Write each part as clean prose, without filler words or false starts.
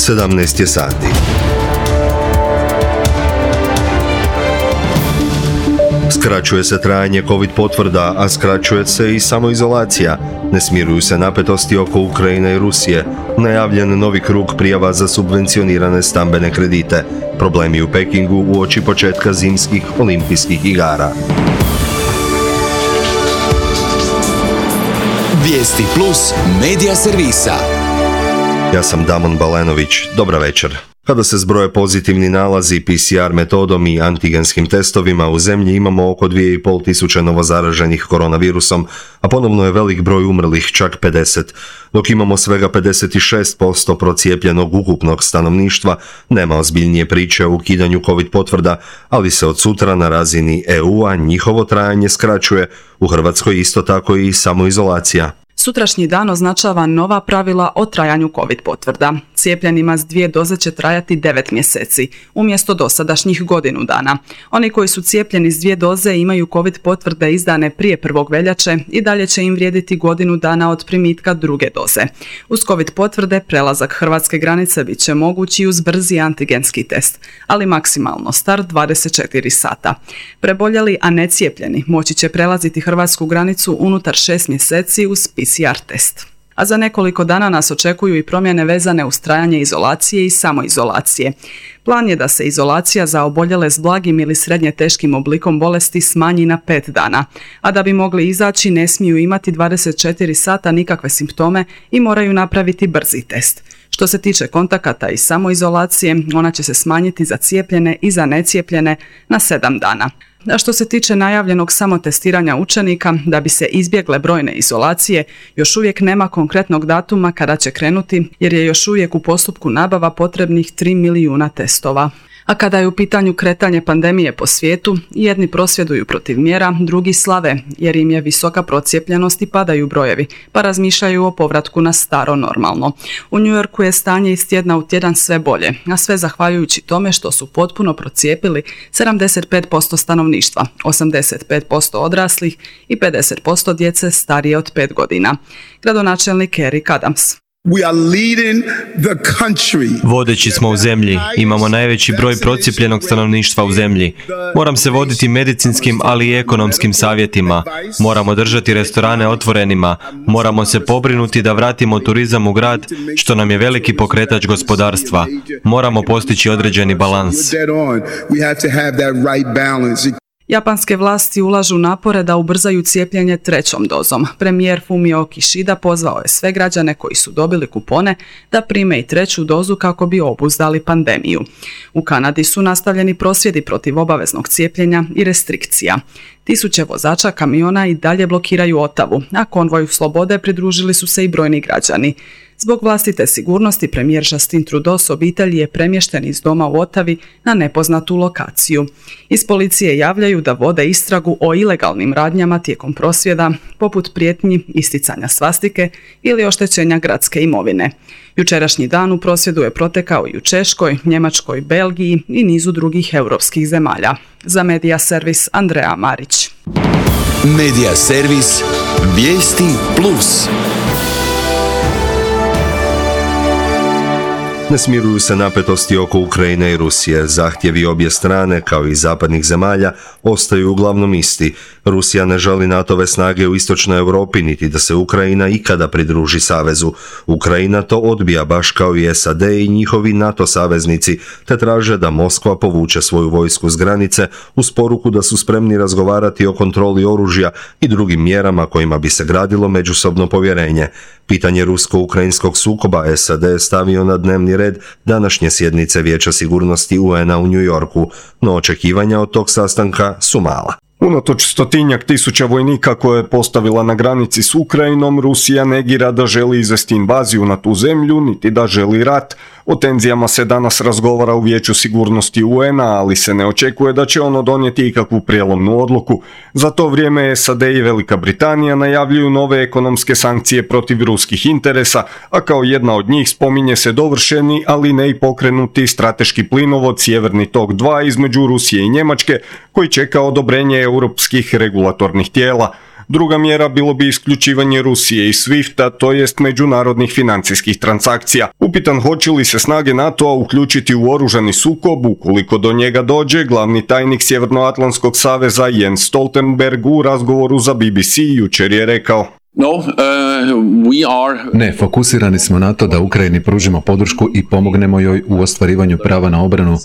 17 je sati. Skraćuje se trajanje COVID potvrda, a skraćuje se i samoizolacija. Ne smiruju se napetosti oko Ukrajine i Rusije. Najavljen novi krug prijava za subvencionirane stambene kredite. Problemi u Pekingu uoči početka zimskih olimpijskih igara. Vijesti plus medija servisa. Ja sam Damon Balenović. Dobra večer. Kada se zbroje pozitivni nalazi PCR metodom i antigenskim testovima, u zemlji imamo oko 2500 novozaraženih koronavirusom, a ponovno je velik broj umrlih, čak 50. Dok imamo svega 56% procijepljenog ukupnog stanovništva, nema ozbiljnije priče o ukidanju COVID potvrda, ali se od sutra na razini EU-a njihovo trajanje skraćuje. U Hrvatskoj isto tako i samoizolacija. Sutrašnji dan označava nova pravila o trajanju COVID potvrda. Cijepljenima s 2 doze će trajati 9 mjeseci, umjesto dosadašnjih godinu dana. Oni koji su cijepljeni s 2 doze imaju COVID potvrde izdane prije 1. veljače i dalje će im vrijediti godinu dana od primitka 2. doze. Uz COVID potvrde prelazak hrvatske granice bit će mogući uz brzi antigenski test, ali maksimalno star 24 sata. Preboljeli, a ne cijepljeni, moći će prelaziti hrvatsku granicu unutar 6 mjeseci uz PCR test. A za nekoliko dana nas očekuju i promjene vezane uz trajanje izolacije i samoizolacije. Plan je da se izolacija za oboljele s blagim ili srednje teškim oblikom bolesti smanji na 5 dana, a da bi mogli izaći ne smiju imati 24 sata nikakve simptome i moraju napraviti brzi test. Što se tiče kontakata i samoizolacije, ona će se smanjiti za cijepljene i za necijepljene na 7 dana. A što se tiče najavljenog samotestiranja učenika, da bi se izbjegle brojne izolacije, još uvijek nema konkretnog datuma kada će krenuti, jer je još uvijek u postupku nabava potrebnih 3 milijuna testova. A kada je u pitanju kretanje pandemije po svijetu, jedni prosvjeduju protiv mjera, drugi slave, jer im je visoka procijepljenost i padaju brojevi, pa razmišljaju o povratku na staro normalno. U New Yorku je stanje iz tjedna u tjedan sve bolje, a sve zahvaljujući tome što su potpuno procijepili 75% stanovništva, 85% odraslih i 50% djece starije od 5 godina. Gradonačelnik Eric Adams. Vodeći smo u zemlji, imamo najveći broj procijepljenog stanovništva u zemlji. Moram se voditi medicinskim, ali i ekonomskim savjetima. Moramo držati restorane otvorenima. Moramo se pobrinuti da vratimo turizam u grad, što nam je veliki pokretač gospodarstva. Moramo postići određeni balans. Japanske vlasti ulažu napore da ubrzaju cijepljenje 3. dozom. Premijer Fumio Kishida pozvao je sve građane koji su dobili kupone da prime i 3. dozu kako bi obuzdali pandemiju. U Kanadi su nastavljeni prosvjedi protiv obaveznog cijepljenja i restrikcija. Tisuće vozača kamiona i dalje blokiraju Otavu, a konvoju slobode pridružili su se i brojni građani. Zbog vlastite sigurnosti premijer Justin Trudeau s obitelji je premješten iz doma u Otavi na nepoznatu lokaciju. Iz policije javljaju da vode istragu o ilegalnim radnjama tijekom prosvjeda, poput prijetnji, isticanja svastike ili oštećenja gradske imovine. Jučerašnji dan u prosvjedu je protekao i u Češkoj, Njemačkoj, Belgiji i nizu drugih europskih zemalja. Za Medija servis Andreja Marić. Medija servis Vijesti plus. Ne smiruju se napetosti oko Ukrajine i Rusije. Zahtjevi obje strane, kao i zapadnih zemalja, ostaju uglavnom isti. Rusija ne želi NATO-ve snage u istočnoj Europi, niti da se Ukrajina ikada pridruži savezu. Ukrajina to odbija, baš kao i SAD i njihovi NATO saveznici, te traže da Moskva povuče svoju vojsku s granice uz poruku da su spremni razgovarati o kontroli oružja i drugim mjerama kojima bi se gradilo međusobno povjerenje. Pitanje rusko-ukrajinskog sukoba SAD je stavio na dnevni red današnje sjednice Vijeća sigurnosti UN-a u New Yorku, no očekivanja od tog sastanka su mala. Unatoč 100-tisuća vojnika koje je postavila na granici s Ukrajinom, Rusija negira da želi izvesti invaziju na tu zemlju, niti da želi rat. O tenzijama se danas razgovara u Vijeću sigurnosti UN-a, ali se ne očekuje da će ono donijeti ikakvu prijelomnu odluku. Za to vrijeme SAD i Velika Britanija najavljuju nove ekonomske sankcije protiv ruskih interesa, a kao jedna od njih spominje se dovršeni, ali ne i pokrenuti strateški plinovod Sjeverni tok 2 između Rusije i Njemačke, koji čeka odobrenje europskih regulatornih tijela. Druga mjera bilo bi isključivanje Rusije iz SWIFT-a, to jest međunarodnih financijskih transakcija. Upitan hoće li se snage NATO-a uključiti u oružani sukob, ukoliko do njega dođe, glavni tajnik Sjevernoatlantskog saveza Jens Stoltenberg u razgovoru za BBC jučer je rekao: Ne, fokusirani smo na to da Ukrajini pružimo podršku i pomognemo joj u ostvarivanju prava na obranu,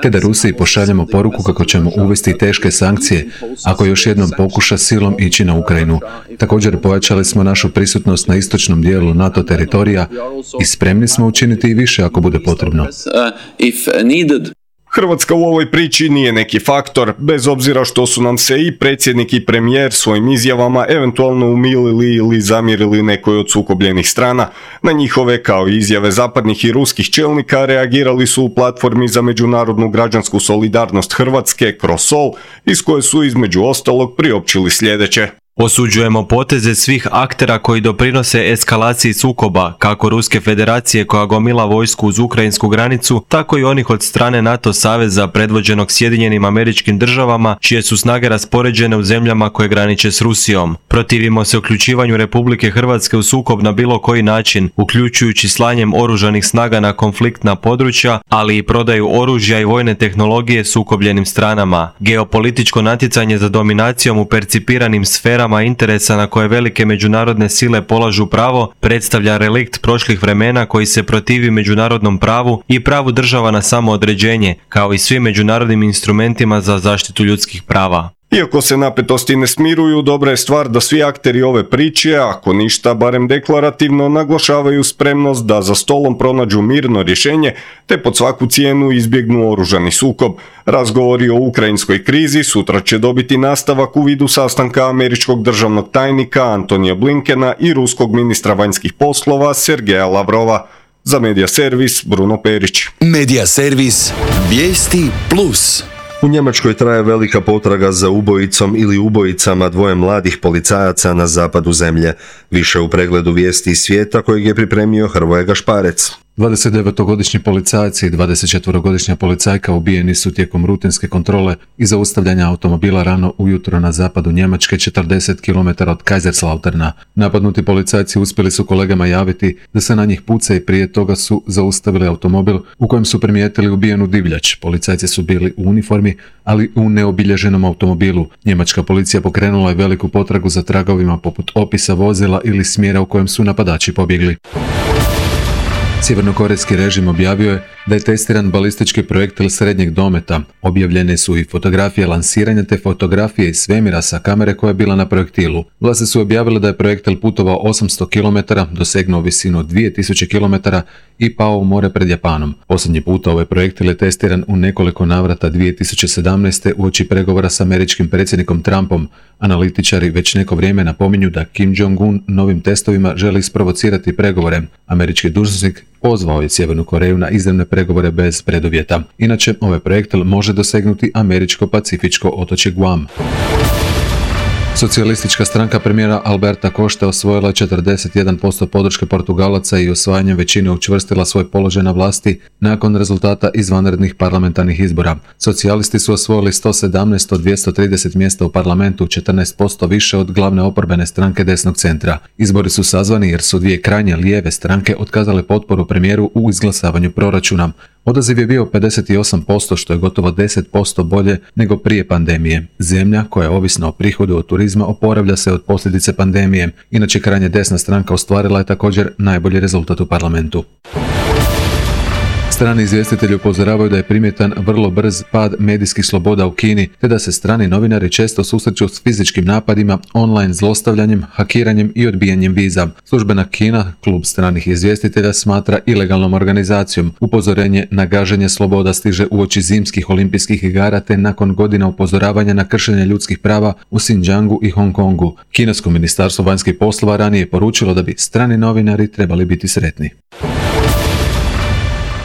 te da Rusiji pošaljemo poruku kako ćemo uvesti teške sankcije ako još jednom pokuša silom ići na Ukrajinu. Također pojačali smo našu prisutnost na istočnom dijelu NATO teritorija i spremni smo učiniti i više ako bude potrebno. Hrvatska u ovoj priči nije neki faktor, bez obzira što su nam se i predsjednik i premijer svojim izjavama eventualno umilili ili zamjerili nekoj od sukobljenih strana. Na njihove, kao i izjave zapadnih i ruskih čelnika, reagirali su u platformi za međunarodnu građansku solidarnost Hrvatske, CROSSOL, iz koje su između ostalog priopćili sljedeće. Osuđujemo poteze svih aktera koji doprinose eskalaciji sukoba, kako Ruske federacije koja gomila vojsku uz ukrajinsku granicu, tako i onih od strane NATO saveza predvođenog Sjedinjenim Američkim Državama, čije su snage raspoređene u zemljama koje graniče s Rusijom. Protivimo se uključivanju Republike Hrvatske u sukob na bilo koji način, uključujući slanjem oružanih snaga na konfliktna područja, ali i prodaju oružja i vojne tehnologije sukobljenim stranama. Geopolitičko natjecanje za dominacijom u percipiranim sferama interesa na koje velike međunarodne sile polažu pravo predstavlja relikt prošlih vremena koji se protivi međunarodnom pravu i pravu država na samoodređenje, kao i svim međunarodnim instrumentima za zaštitu ljudskih prava. Iako se napetosti ne smiruju, dobra je stvar da svi akteri ove priče, ako ništa barem deklarativno, naglašavaju spremnost da za stolom pronađu mirno rješenje te pod svaku cijenu izbjegnu oružani sukob. Razgovori o ukrajinskoj krizi sutra će dobiti nastavak u vidu sastanka američkog državnog tajnika Antonija Blinkena i ruskog ministra vanjskih poslova Sergeja Lavrova. Za Medija Servis, Bruno Perić. Medija Servis, vijesti plus. U Njemačkoj traje velika potraga za ubojicom ili ubojicama dvoje mladih policajaca na zapadu zemlje. Više u pregledu vijesti iz svijeta kojeg je pripremio Hrvoje Gašparec. 29-godišnji policajac i 24-godišnja policajka ubijeni su tijekom rutinske kontrole i zaustavljanja automobila rano ujutro na zapadu Njemačke 40 km od Kaiserslauterna. Napadnuti policajci uspjeli su kolegama javiti da se na njih puca i prije toga su zaustavili automobil u kojem su primijetili ubijenu divljač. Policajci su bili u uniformi, ali u neobilježenom automobilu. Njemačka policija pokrenula je veliku potragu za tragovima poput opisa vozila ili smjera u kojem su napadači pobjegli. Sjevernokorejski režim objavio je da je testiran balistički projektil srednjeg dometa. Objavljene su i fotografije lansiranja te fotografije iz svemira sa kamere koja je bila na projektilu. Vlasti su objavile da je projektil putovao 800 km, dosegnuo visinu 2000 km i pao u more pred Japanom. Posljednji puta ovaj projektil je testiran u nekoliko navrata 2017. uoči pregovora s američkim predsjednikom Trumpom. Analitičari već neko vrijeme napominju da Kim Jong-un novim testovima želi isprovocirati pregovore. Američki dužnosnik pozvao je Sjevernu Koreju na izravne pregovore bez preduvjeta. Inače, ovaj projektil može dosegnuti američko-pacifičko otočje Guam. Socijalistička stranka premijera Alberta Costa osvojila je 41% podrške Portugalaca i osvajanjem većine učvrstila svoj položaj na vlasti nakon rezultata izvanrednih parlamentarnih izbora. Socijalisti su osvojili 117 od 230 mjesta u parlamentu, 14% više od glavne oporbene stranke desnog centra. Izbori su sazvani jer su dvije krajnje lijeve stranke otkazale potporu premijeru u izglasavanju proračuna. Odaziv je bio 58%, što je gotovo 10% bolje nego prije pandemije. Zemlja, koja je ovisna o prihodu od turizma, oporavlja se od posljedice pandemije. Inače, krajnje desna stranka ostvarila je također najbolji rezultat u parlamentu. Strani izvjestitelji upozoravaju da je primjetan vrlo brz pad medijskih sloboda u Kini, te da se strani novinari često susreću s fizičkim napadima, online zlostavljanjem, hakiranjem i odbijanjem viza. Službena Kina, klub stranih izvjestitelja, smatra ilegalnom organizacijom. Upozorenje na gaženje sloboda stiže uoči zimskih olimpijskih igara te nakon godina upozoravanja na kršenje ljudskih prava u Xinjiangu i Hong Kongu. Kinesko ministarstvo vanjskih poslova ranije je poručilo da bi strani novinari trebali biti sretni.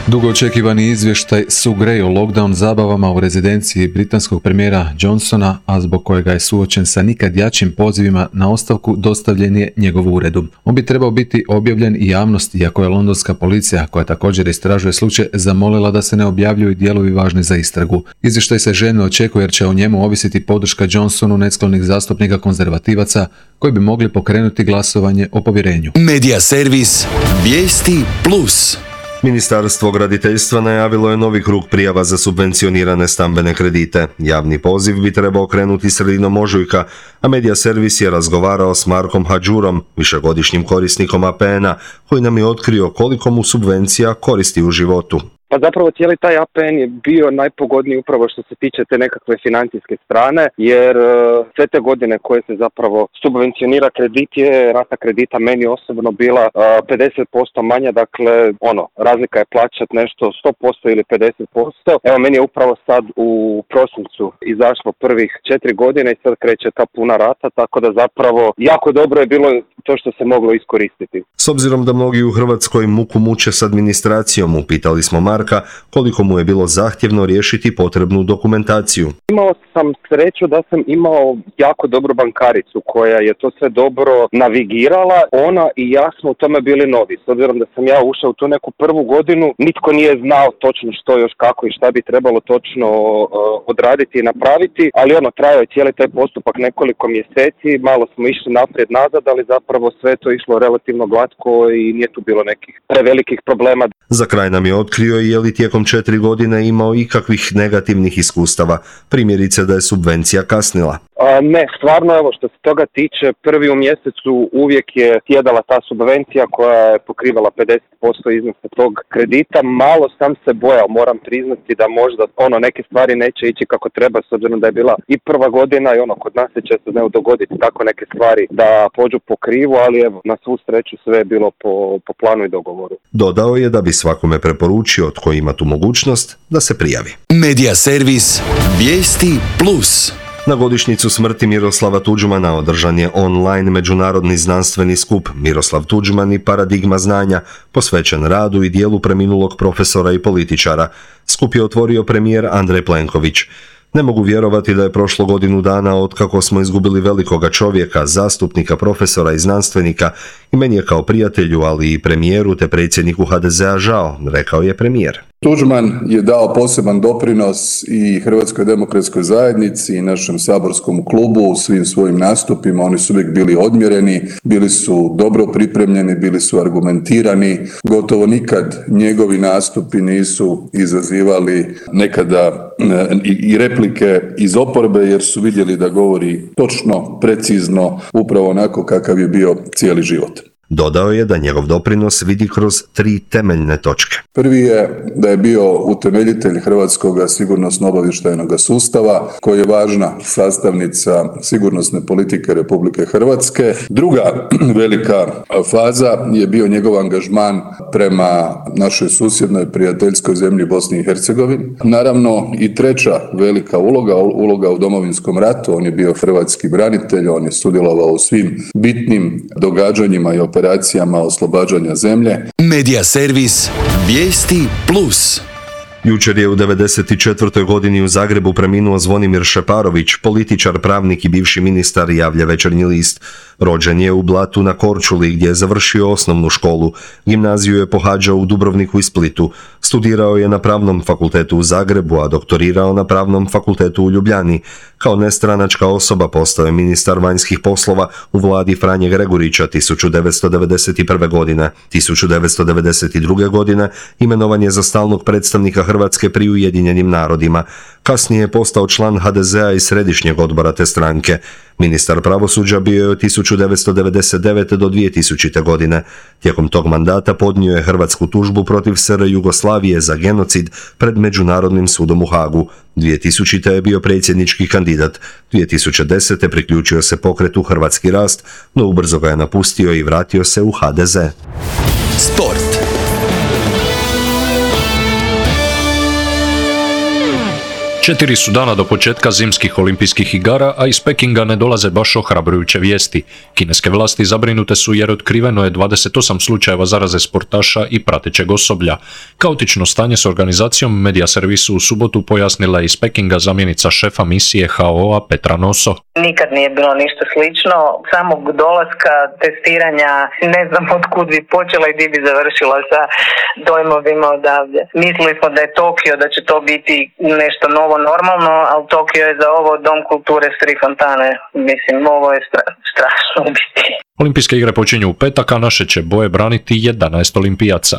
Dugo očekivani izvještaj Sue Gray o lockdown zabavama u rezidenciji britanskog premijera Johnsona, a zbog kojega je suočen sa nikad jačim pozivima na ostavku, dostavljen je njegovu uredu. On bi trebao biti objavljen i javnosti, iako je londonska policija, koja također istražuje slučaj, zamolila da se ne objavljuju dijelovi važni za istragu. Izvještaj se željno očekuje jer će o njemu ovisiti podrška Johnsonu nesklonih zastupnika konzervativaca koji bi mogli pokrenuti glasovanje o povjerenju. Medija servis Vijesti Plus. Ministarstvo graditeljstva najavilo je novi krug prijava za subvencionirane stambene kredite. Javni poziv bi trebao krenuti sredinom ožujka, a Medija servis je razgovarao s Markom Hadžurom, višegodišnjim korisnikom APN-a, koji nam je otkrio koliko mu subvencija koristi u životu. Pa zapravo cijeli taj APN je bio najpogodniji upravo što se tiče te nekakve financijske strane, jer sve te godine koje se zapravo subvencionira kredit je rata kredita meni osobno bila 50% manja, dakle razlika je plaćat nešto 100% ili 50%. Evo meni je upravo sad u prosincu izašlo prvih 4 godine i sad kreće ta puna rata, tako da zapravo jako dobro je bilo to što se moglo iskoristiti. S obzirom da mnogi u Hrvatskoj muku muče s administracijom, upitali smo Marka koliko mu je bilo zahtjevno riješiti potrebnu dokumentaciju. Imao sam sreću da sam imao jako dobru bankaricu koja je to sve dobro navigirala. Ona i ja smo u tome bili novi. S obzirom da sam ja ušao u tu neku prvu godinu, nitko nije znao točno što još kako i šta bi trebalo točno odraditi i napraviti, ali trajao je cijeli taj postupak nekoliko mjeseci, malo smo išli naprijed nazad, ali zapravo sve to išlo relativno glatko i nije tu bilo nekih prevelikih problema. Za kraj nam je otkrio je li tijekom 4 godine imao ikakvih negativnih iskustava, primjerice da je subvencija kasnila. Ne, stvarno, što se toga tiče, prvi u mjesecu uvijek je sjedala ta subvencija koja je pokrivala 50% iznosa tog kredita. Malo sam se bojao, moram priznati, da možda neke stvari neće ići kako treba, s obzirom da je bila i prva godina i kod nas se često dogoditi tako neke stvari da pođu po krivu, ali evo, na svu sreću sve je bilo po planu i dogovoru. Dodao je da bi svakome preporučio tko ima tu mogućnost da se prijavi. Medija servis Vijesti Plus. Na godišnjicu smrti Miroslava Tuđmana održan je online međunarodni znanstveni skup Miroslav Tuđman i paradigma znanja, posvećen radu i dijelu preminulog profesora i političara. Skup je otvorio premijer Andrej Plenković. Ne mogu vjerovati da je prošlo godinu dana otkako smo izgubili velikoga čovjeka, zastupnika, profesora i znanstvenika, i meni je kao prijatelju, ali i premijeru te predsjedniku HDZ-a žao, rekao je premijer. Tuđman je dao poseban doprinos i Hrvatskoj demokratskoj zajednici i našem saborskom klubu u svim svojim nastupima. Oni su uvijek bili odmjereni, bili su dobro pripremljeni, bili su argumentirani. Gotovo nikad njegovi nastupi nisu izazivali nekada i replike iz oporbe, jer su vidjeli da govori točno, precizno, upravo onako kakav je bio cijeli život. Dodao je da njegov doprinos vidi kroz 3 temeljne točke. Prvi je da je bio utemeljitelj Hrvatskog sigurnosno-obavještajnog sustava, koji je važna sastavnica sigurnosne politike Republike Hrvatske. Druga velika faza je bio njegov angažman prema našoj susjednoj prijateljskoj zemlji Bosni i Hercegovini. Naravno i treća velika uloga u Domovinskom ratu. On je bio hrvatski branitelj, on je sudjelovao u svim bitnim događanjima i operacijama oslobađanja zemlje. Medija servis Vijesti Plus. Jučer je u 94. godini u Zagrebu preminuo Zvonimir Šeparović, političar, pravnik i bivši ministar, javlja Večernji list. Rođen je u Blatu na Korčuli, gdje je završio osnovnu školu. Gimnaziju je pohađao u Dubrovniku i Splitu. Studirao je na Pravnom fakultetu u Zagrebu, a doktorirao na Pravnom fakultetu u Ljubljani. Kao nestranačka osoba postao je ministar vanjskih poslova u vladi Franje Gregurića 1991. godine. 1992. godine imenovan je za stalnog predstavnika Hrvatske pri Ujedinjenim narodima. Kasnije je postao član HDZ-a i središnjeg odbora te stranke. Ministar pravosuđa bio je od 1999. do 2000. godine. Tijekom tog mandata podnio je hrvatsku tužbu protiv SR Jugoslavije za genocid pred Međunarodnim sudom u Hagu. 2000. je bio predsjednički kandidat. 2010. priključio se pokretu Hrvatski rast, no ubrzo ga je napustio i vratio se u HDZ. Sport. 4 su dana do početka zimskih olimpijskih igara, a iz Pekinga ne dolaze baš ohrabrujuće vijesti. Kineske vlasti zabrinute su jer otkriveno je 28 slučajeva zaraze sportaša i pratećeg osoblja. Kaotično stanje s organizacijom medija servisu u subotu pojasnila je iz Pekinga zamjenica šefa misije HO-a Petra Noso. Nikad nije bilo ništa slično, samog dolaska, testiranja, ne znam od kud bi počela i gdje bi završila sa dojmovima odavde. Mislili smo da je Tokio, da će to biti nešto novo normalno, ali Tokio je za ovo dom kulture s 3 fontane. Mislim, ovo je strašno biti. Olimpijske igre počinju u petak, a naše će boje braniti 11 olimpijaca.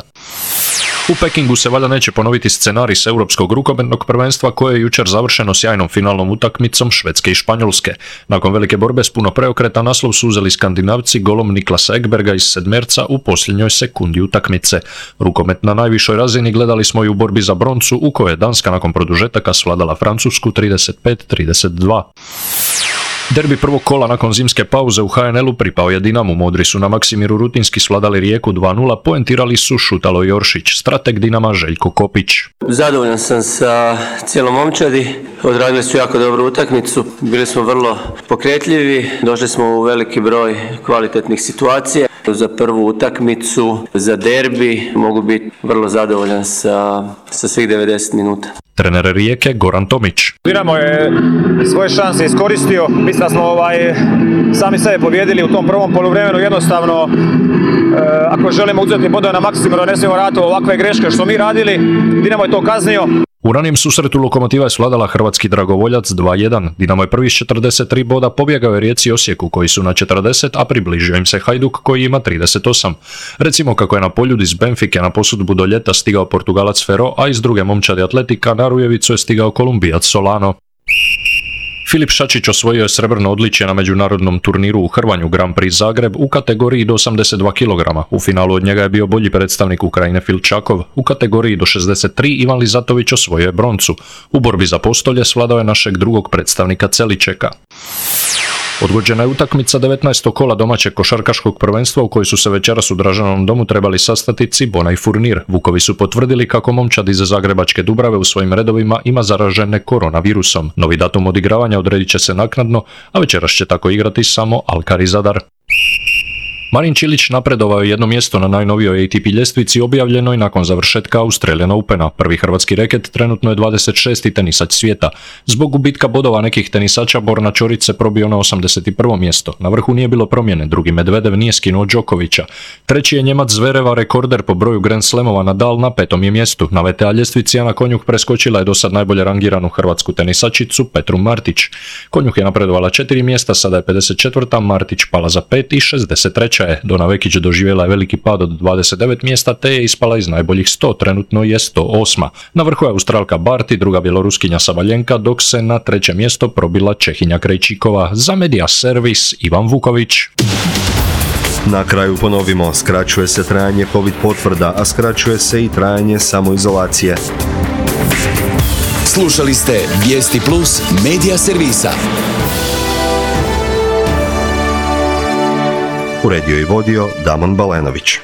U Pekingu se valjda neće ponoviti scenarij s europskog rukometnog prvenstva koje je jučer završeno sjajnom finalnom utakmicom Švedske i Španjolske. Nakon velike borbe s puno preokreta naslov su uzeli Skandinavci golom Niklasa Ekberga iz sedmerca u posljednjoj sekundi utakmice. Rukomet na najvišoj razini gledali smo i u borbi za broncu u kojoj je Danska nakon produžetaka svladala Francusku 35-32. Derbi prvog kola nakon zimske pauze u HNL-u pripao je Dinamu. Modri su na Maksimiru rutinski svladali Rijeku 2-0, poentirali su Šutalo i Oršić, strateg Dinama Željko Kopić. Zadovoljan sam sa cijelom momčadi, odradili su jako dobru utakmicu, bili smo vrlo pokretljivi, došli smo u veliki broj kvalitetnih situacija. Za prvu utakmicu, za derbi, mogu biti vrlo zadovoljan sa svih 90 minuta. Trener Rijeke Goran Tomić. Dinamo je svoje šanse iskoristio. Mislim da smo sami sebe pobijedili u tom prvom poluvremenu. Jednostavno, ako želimo uzeti bodove na Maksimiru, ne smijemo raditi ovakve greške što mi radili. Dinamo je to kaznio. U ranijem susretu Lokomotiva je svladala hrvatski dragovoljac 2-1. Dinamo je prvi s 43 boda, pobjegao je Rijeci i Osijeku koji su na 40, a približio im se Hajduk koji ima 38. Recimo kako je na Poljud iz Benfike na posudbu do ljeta stigao Portugalac Ferro, a iz druge momčadi Atletika na Rujevicu je stigao Kolumbijac Solano. Filip Šačić osvojio je srebrno odličje na međunarodnom turniru u Hrvanju Grand Prix Zagreb u kategoriji do 82 kg. U finalu od njega je bio bolji predstavnik Ukrajine Filčakov. U kategoriji do 63 Ivan Lizatović osvojio je broncu. U borbi za postolje svladao je našeg drugog predstavnika Celičeka. Odgođena je utakmica 19. kola domaćeg košarkaškog prvenstva u kojoj su se večeras u Dražanovom domu trebali sastati Cibona i Furnir. Vukovi su potvrdili kako momčad iz Zagrebačke Dubrave u svojim redovima ima zaražene koronavirusom. Novi datum odigravanja odredit će se naknadno, a večeras će tako igrati samo Alkar i Zadar. Marin Čilić napredovao je jedno mjesto na najnovijoj ATP ljestvici objavljenoj nakon završetka Australian Opena. Prvi hrvatski reket trenutno je 26. tenisač svijeta. Zbog gubitka bodova nekih tenisača Borna Ćorić se probio na 81. mjesto. Na vrhu nije bilo promjene, drugi Medvedev nije skinuo Đokovića. Treći je Njemac Zvereva, rekorder po broju Grand Slamova, Nadal na 5. je mjestu. Na VTA ljestvici Ana Konjuh preskočila je dosad najbolje rangiranu hrvatsku tenisačicu Petru Martić. Konjuh je napredovala 4 mjesta, sada je 54. Martić pala za 5 i 63. Dona Vekić doživjela je veliki pad od 29 mjesta te je ispala iz najboljih 100, trenutno je 108. Na vrhu je Australka Barty, druga Bjeloruskinja Sabaljenka, dok se na 3. mjesto probila Čehinja Krejčíková. Za Media Servis Ivan Vuković. Na kraju ponovimo, skraćuje se trajanje COVID potvrda, a skraćuje se i trajanje samoizolacije. Slušali ste Vijesti Plus Media Servisa. Uredio i vodio Damon Balenović.